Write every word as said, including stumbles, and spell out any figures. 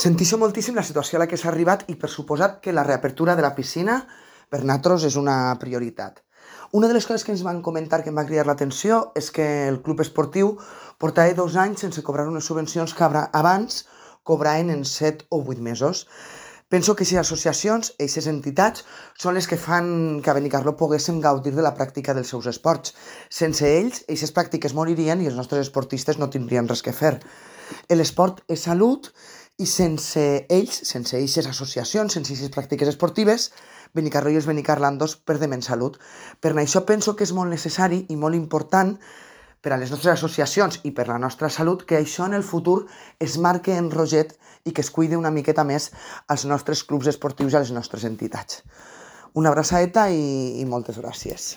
Sentisco moltíssim la situació a la que s'ha arribat i per suposat que la reapertura de la piscina per nosaltres és una prioritat. Una de les coses que ens van comentar que em va cridar l'atenció és que el club esportiu portava dos anys sense cobrar unes subvencions que abans cobraven en set o vuit mesos. Penso que aquestes associacions, aquestes entitats, són les que fan que a Benicarló poguéssim gaudir de la pràctica dels seus esports. Sense ells, aquestes pràctiques moririen i els nostres esportistes no tindrien res que fer. L'esport és salut i sense ells, sense aquestes associacions, sense aquestes pràctiques esportives, Benicarló i els benicarlandos perdem en salut. Per això penso que és molt necessari i molt important per a les nostres associacions i per la nostra salut que això en el futur es marque en roget i que es cuide una miqueta més als nostres clubs esportius i a les nostres entitats. Una abraçadeta i, i moltes gràcies.